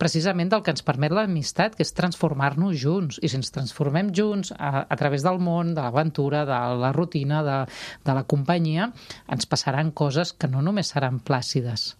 precisament del que ens permet l'amistat, que és transformar-nos junts. I si ens transformem junts a través del món, de l'aventura, de la rutina, de la companyia, ens passaran coses que no només seran plàcides.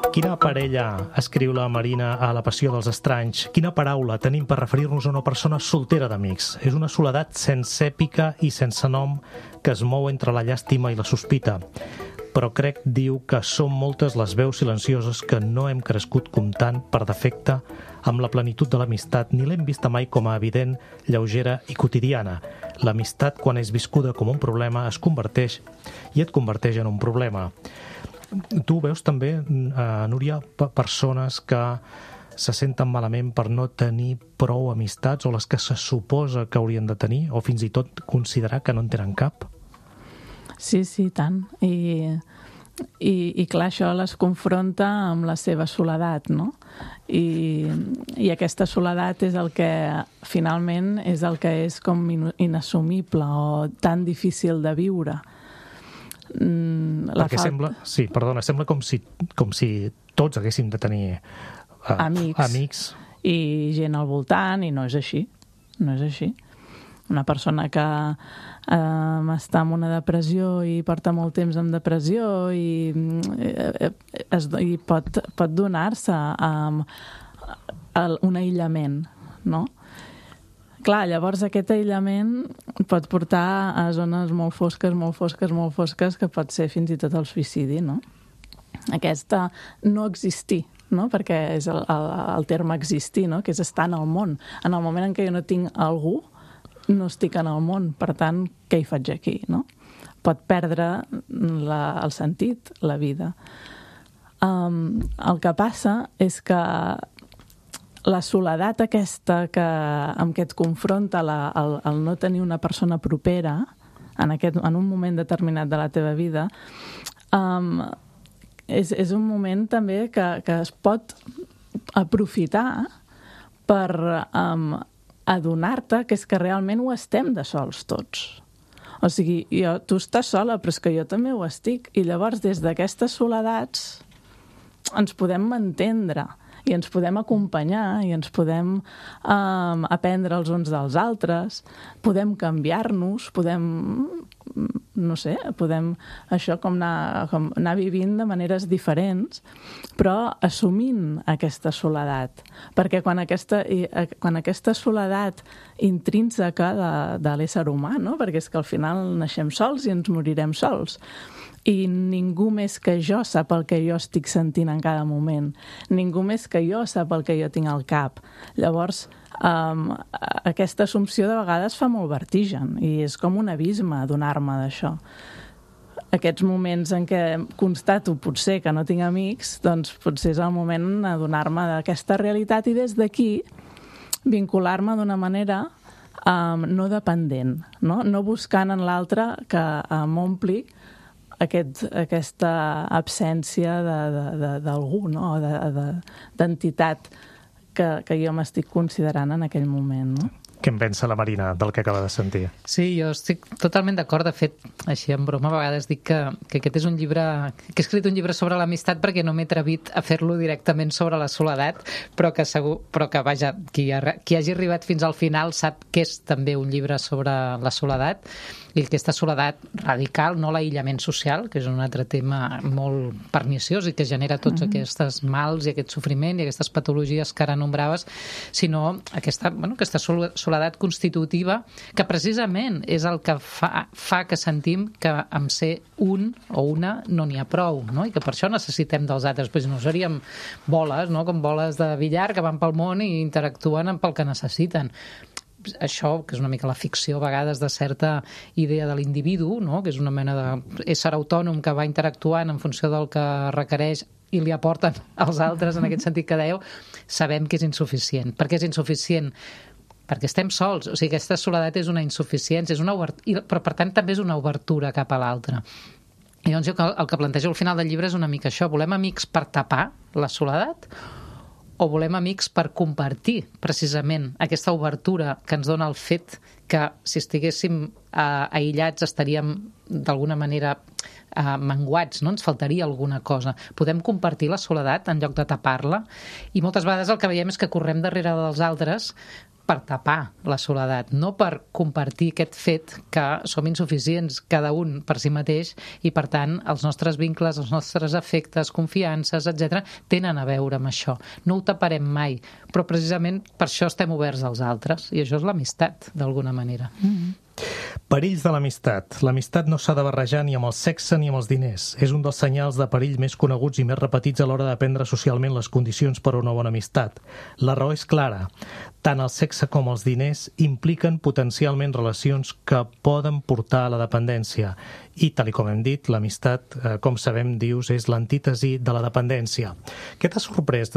Quina parella escriu la Marina a La passió dels estranys? Quina paraula tenim per referir-nos a una persona soltera d'amics? És una soledat sense èpica i sense nom que es mou entre la llàstima i la sospita. Però crec, diu, que són moltes les veus silencioses que no hem crescut comptant per defecte amb la plenitud de l'amistat, ni l'hem vista mai com a evident, lleugera i quotidiana. L'amistat, quan és viscuda com un problema, es converteix i et converteix en un problema. Tu veus també, Núria, persones que se senten malament per no tenir prou amistats o les que se suposa que haurien de tenir, o fins i tot considerar que no en tenen cap? Sí, tant. I clar, això les confronta amb la seva soledat, no? I aquesta soledat és el que finalment és com inassumible o tan difícil de viure. Perquè sembla com si tots haguéssim de tenir amics i gent al voltant, i no és així. Una persona que està en una depressió i porta molt temps en depressió i pot donar-se a un aïllament, no? Clar, llavors aquest aïllament pot portar a zones molt fosques, que pot ser fins i tot el suïcidi, no? Aquesta no existir, no? Perquè és el terme existir, no? Que és estar en el món. En el moment en què jo no tinc algú, no estic en el món, per tant, què hi faig aquí, no? Pot perdre el sentit, la vida. El que passa és que la soledat aquesta amb què et confronta el no tenir una persona propera en un moment determinat de la teva vida és un moment també que es pot aprofitar per adonar-te que és que realment ho estem de sols tots. O sigui, tu estàs sola, però és que jo també ho estic. I llavors, des d'aquestes soledats, ens podem entendre i ens podem acompanyar i ens podem aprendre els uns dels altres, podem canviar-nos, podem no sé, podem això com anar vivint de maneres diferents, però assumint aquesta soledat. Perquè quan aquesta soledat intrínseca de l'ésser humà, no? Perquè és que al final naixem sols i ens morirem sols, i ningú més que jo sap el que jo estic sentint en cada moment. Ningú més que jo sap el que jo tinc al cap. Llavors, aquesta assumpció de vegades fa molt vertigen i és com un abisme adonar-me d'això. Aquests moments en què constato potser que no tinc amics, doncs potser és el moment d'adonar-me d'aquesta realitat i des d'aquí vincular-me d'una manera no dependent, no buscant en l'altre que m'ompli aquesta absència d'algú, no? D'entitat que jo m'estic considerant en aquell moment. No? Què en pensa la Marina del que acaba de sentir? Sí, jo estic totalment d'acord. De fet, així en broma, a vegades dic que aquest és un llibre... que he escrit un llibre sobre l'amistat perquè no m'he atrevit a fer-lo directament sobre la soledat, però que vaja, qui hagi arribat fins al final sap que és també un llibre sobre la soledat, i aquesta soledat radical, no l'aïllament social, que és un altre tema molt perniciós i que genera tots aquests mals i aquest sofriment i aquestes patologies que ara nombraves, sinó aquesta soledat constitutiva, que precisament és el que fa que sentim que amb ser un o una no n'hi ha prou, no? I que per això necessitem dels altres, però si no seríem boles, no? Com boles de billar que van pel món i interactuen pel que necessiten. Això, que és una mica la ficció a vegades de certa idea de l'individu, no? Que és una mena d'ésser autònom que va interactuant en funció del que requereix i li aporten als altres, en aquest sentit que dèieu, sabem que és insuficient. Per què és insuficient? Perquè estem sols. O sigui, aquesta soledat és una insuficiència, però per tant també és una obertura cap a l'altre. I doncs el que plantejo al final del llibre és una mica això. Volem amics per tapar la soledat o volem amics per compartir precisament aquesta obertura que ens dona el fet que si estiguéssim aïllats estaríem d'alguna manera menguats, no? Ens faltaria alguna cosa. Podem compartir la soledat en lloc de tapar-la i moltes vegades el que veiem és que correm darrere dels altres per tapar la soledat, no per compartir aquest fet que som insuficients cada un per si mateix i, per tant, els nostres vincles, els nostres afectes, confiances, etc., tenen a veure amb això. No ho taparem mai, però precisament per això estem oberts als altres i això és l'amistat, d'alguna manera. Perills de l'amistat. L'amistat no s'ha de barrejar ni amb el sexe ni amb els diners. És un dels senyals de perill més coneguts i més repetits a l'hora de prendre socialment les condicions per a una bona amistat. La raó és clara. Tant el sexe com els diners impliquen potencialment relacions que poden portar a la dependència. I, tal com hem dit, l'amistat, com sabem, dius, és l'antítesi de la dependència. Què t'ha sorprès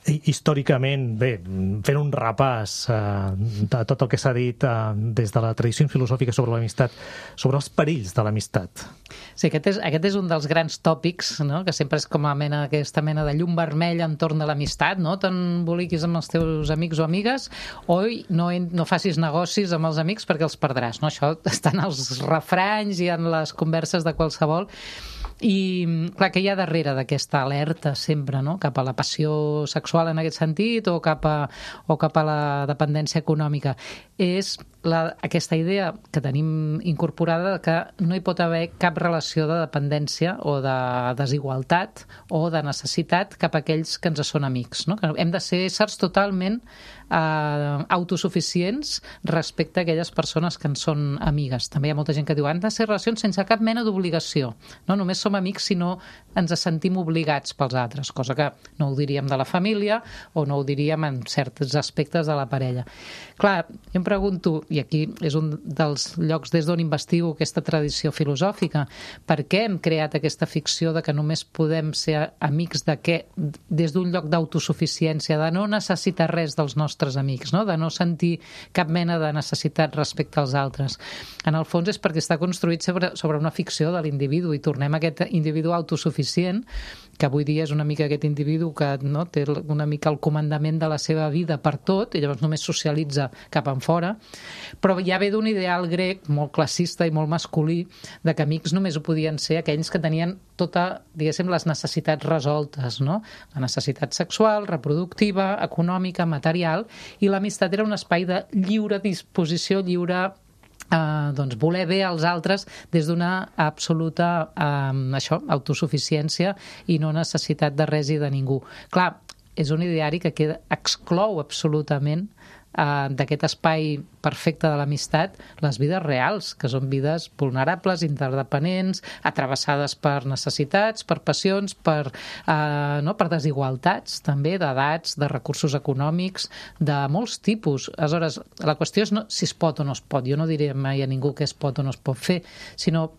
històricament, bé, fent un repàs de tot el que s'ha dit des de la tradició filosòfica sobre l'amistat, sobre els perills de l'amistat? Sí, aquest és un dels grans tòpics, no? Que sempre és com aquesta mena de llum vermella entorn de l'amistat, no? T'emboliquis amb els teus amics o amigues, o no facis negocis amb els amics perquè els perdràs, no? Això està en els refranys i en les converses de qualsevol. I, clar, que hi ha darrere d'aquesta alerta sempre, no? Cap a la passió sexual en aquest sentit o cap a la dependència econòmica. És aquesta idea que tenim incorporada que no hi pot haver cap relació de dependència o de desigualtat o de necessitat cap a aquells que ens són amics, no? Que hem de ser éssers totalment autosuficients respecte a aquelles persones que ens són amigues. També hi ha molta gent que diu han de ser relacions sense cap mena d'obligació. No només som amics, sinó ens sentim obligats pels altres, cosa que no ho diríem de la família o no ho diríem en certs aspectes de la parella. Clar, jo em pregunto, i aquí és un dels llocs des d'on investigo aquesta tradició filosòfica, per què hem creat aquesta ficció de que només podem ser amics des d'un lloc d'autosuficiència, de no necessitar res dels nostres amics, no? De no sentir cap mena de necessitat respecte als altres. En el fons és perquè està construït sobre una ficció de l'individu i tornem a aquest individu autosuficient, que avui dia és una mica aquest individu que no, té una mica el comandament de la seva vida per tot i llavors només socialitza cap enfora, però ja ve d'un ideal grec molt classista i molt masculí de que amics només ho podien ser aquells que tenien tota, diguéssim, les necessitats resoltes, no? La necessitat sexual, reproductiva, econòmica, material, i l'amistat era un espai de lliure disposició, lliure doncs voler bé als altres des d'una absoluta autosuficiència i no necessitat de res i de ningú. Clar, és un ideari que exclou absolutament d'aquest espai perfecte de l'amistat les vides reals, que són vides vulnerables, interdependents, atravessades per necessitats, per passions, per desigualtats també, d'edats, de recursos econòmics, de molts tipus. Aleshores, la qüestió és no si es pot o no es pot. Jo no diré mai a ningú què es pot o no es pot fer, sinó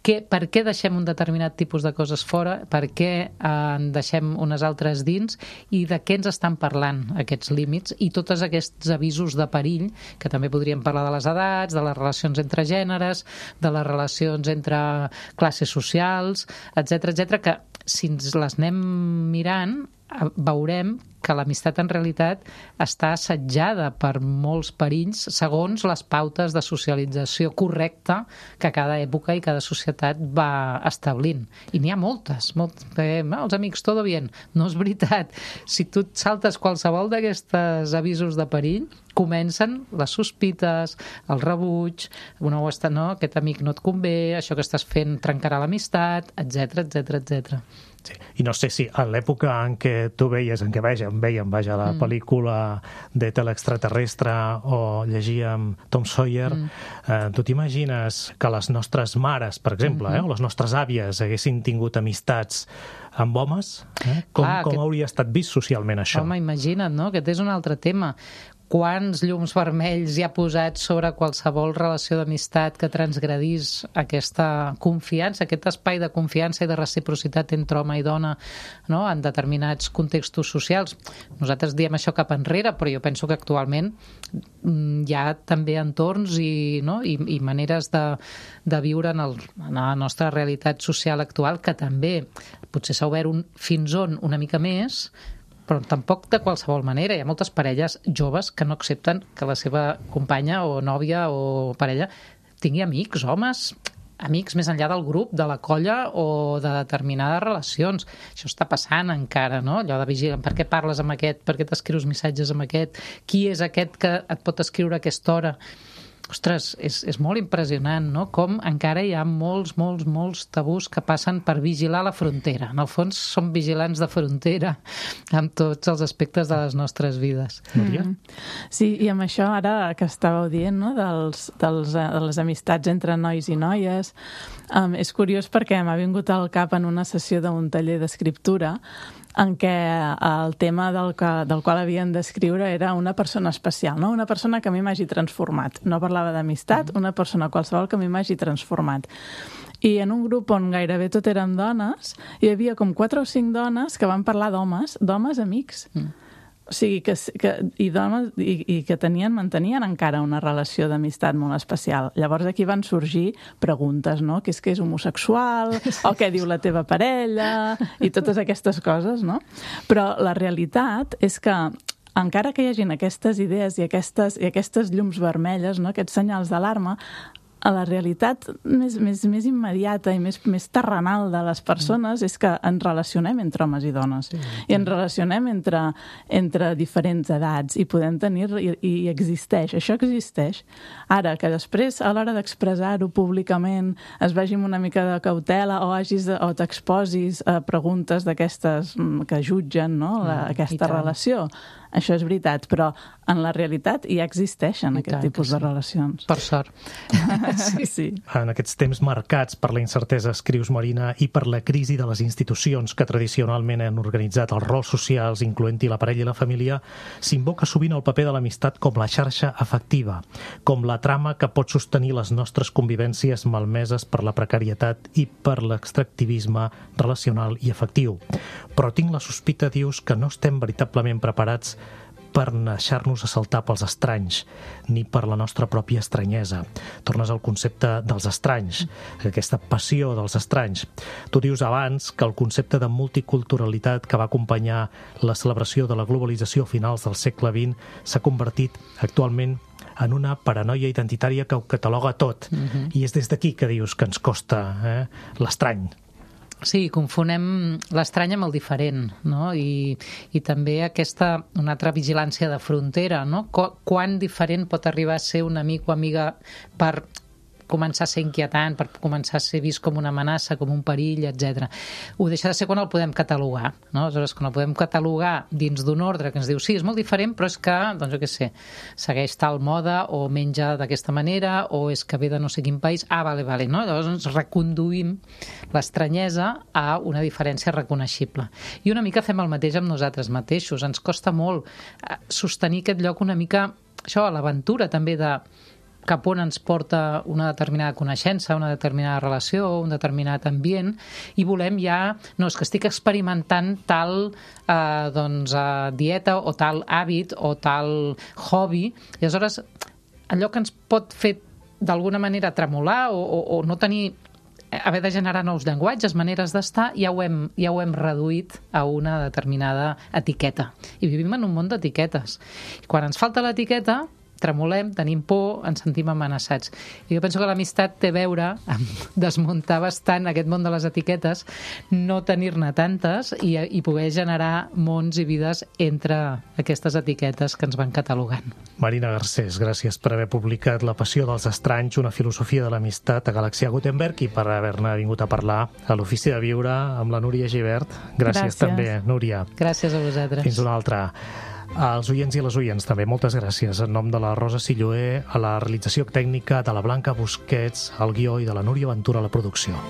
per què deixem un determinat tipus de coses fora, per què en deixem unes altres dins i de què ens estan parlant aquests límits i tots aquests avisos de perill, que també podríem parlar de les edats, de les relacions entre gèneres, de les relacions entre classes socials, etc, que si ens les anem mirant veurem que l'amistat en realitat està assetjada per molts perills segons les pautes de socialització correcta que cada època i cada societat va establint. I n'hi ha moltes. Els amics, todo bien. No és veritat. Si tu et saltes qualsevol d'aquests avisos de perill, comencen les sospites, el rebuig, aquest amic no et convé, això que estàs fent trencarà l'amistat, etc. Sí. I no sé si a l'època en què tu veies, en què vèiem la pel·lícula de l'extraterrestre o llegíem Tom Sawyer, tu t'imagines que les nostres mares, per exemple, o les nostres àvies haguessin tingut amistats amb homes? Com hauria estat vist socialment això? Home, imagina't, no? Aquest és un altre tema. Quants llums vermells hi ha posat sobre qualsevol relació d'amistat que transgredís aquesta confiança, aquest espai de confiança i de reciprocitat entre home i dona, no? En determinats contextos socials. Nosaltres diem això cap enrere, però jo penso que actualment hi ha també entorns i maneres de viure en la nostra realitat social actual que també potser s'ha obert fins on una mica més, però tampoc de qualsevol manera. Hi ha moltes parelles joves que no accepten que la seva companya o nòvia o parella tingui amics, homes, amics més enllà del grup, de la colla o de determinades relacions. Això està passant encara, no? Allò de vigilar, per què parles amb aquest, per què t'escrius missatges amb aquest, qui és aquest que et pot escriure a aquesta hora? Ostres, és molt impressionant, no? Com encara hi ha molts tabús que passen per vigilar la frontera. En el fons som vigilants de frontera amb tots els aspectes de les nostres vides. Núria? Sí, i amb això ara que estàveu dient, no? de les amistats entre nois i noies, és curiós perquè m'ha vingut al cap en una sessió d'un taller d'escriptura en què el tema del qual havien d'escriure era una persona especial, no? Una persona que a mi m'hagi transformat. No parlava d'amistat, una persona qualsevol que a mi m'hagi transformat. I en un grup on gairebé tot eren dones, hi havia com 4 o 5 dones que van parlar d'homes amics. O sigui, que mantenien encara una relació d'amistat molt especial. Llavors aquí van sorgir preguntes, no? Què és homosexual? O què diu la teva parella? I totes aquestes coses, no? Però la realitat és que encara que hi hagin aquestes idees i aquestes llums vermelles, no? Aquests senyals d'alarma, a la realitat més immediata i més terrenal de les persones és que ens relacionem entre homes i dones. I ens relacionem entre diferents edats i podem tenir... I existeix. Això existeix. Ara, que després, a l'hora d'expressar-ho públicament, es vagi amb una mica de cautela o t'exposis a preguntes d'aquestes que jutgen, no? Aquesta relació. Això és veritat, però en la realitat ja existeixen aquest tipus de relacions. Per sort. Sí. En aquests temps marcats per la incertesa, escrius, Marina, i per la crisi de les institucions que tradicionalment han organitzat els rols socials, incloent-hi la parella i la família, s'invoca sovint el paper de l'amistat com la xarxa afectiva, com la trama que pot sostenir les nostres convivències malmeses per la precarietat i per l'extractivisme relacional i afectiu. Però tinc la sospita, dius, que no estem veritablement preparats per deixar-nos assaltar pels estranys, ni per la nostra pròpia estranyesa. Tornes al concepte dels estranys, aquesta passió dels estranys. Tu dius abans que el concepte de multiculturalitat que va acompanyar la celebració de la globalització a finals del segle XX s'ha convertit actualment en una paranoia identitària que ho cataloga tot. I és des d'aquí que dius que ens costa l'estrany. Sí, confonem l'estrany amb el diferent, no? I també una altra vigilància de frontera, no? Quan diferent pot arribar a ser un amic o amiga per començar a ser inquietant, per començar a ser vist com una amenaça, com un perill, etc. Ho deixa de ser quan el podem catalogar, no? Aleshores, quan el podem catalogar dins d'un ordre que ens diu sí, és molt diferent, però és que, doncs jo què sé, segueix tal moda o menja d'aquesta manera o és que ve de no sé quin país, vale, no? Llavors ens reconduïm l'estranyesa a una diferència reconeixible. I una mica fem el mateix amb nosaltres mateixos. Ens costa molt sostenir aquest lloc una mica, això, a l'aventura també de cap on ens porta una determinada coneixença, una determinada relació, un determinat ambient, i volem ja, no, és que estic experimentant tal dieta o tal hàbit o tal hobby, i aleshores allò que ens pot fer d'alguna manera tremolar o no tenir, haver de generar nous llenguatges, maneres d'estar, ja ho hem reduït a una determinada etiqueta. I vivim en un món d'etiquetes. I quan ens falta l'etiqueta, tremolem, tenim por, ens sentim amenaçats. I jo penso que l'amistat té a veure amb desmuntar bastant aquest món de les etiquetes, no tenir-ne tantes i poder generar mons i vides entre aquestes etiquetes que ens van catalogant. Marina Garcés, gràcies per haver publicat La passió dels estranys, una filosofia de l'amistat a Galaxia Gutenberg i per haver-ne vingut a parlar a l'Ofici de Viure amb la Núria Gibert. Gràcies també, Núria. Gràcies a vosaltres. Fins una altra. Als oients i les oients també, moltes gràcies. En nom de la Rosa Silloé, a la realització tècnica, de la Blanca Busquets, al guió i de la Núria Ventura a la producció.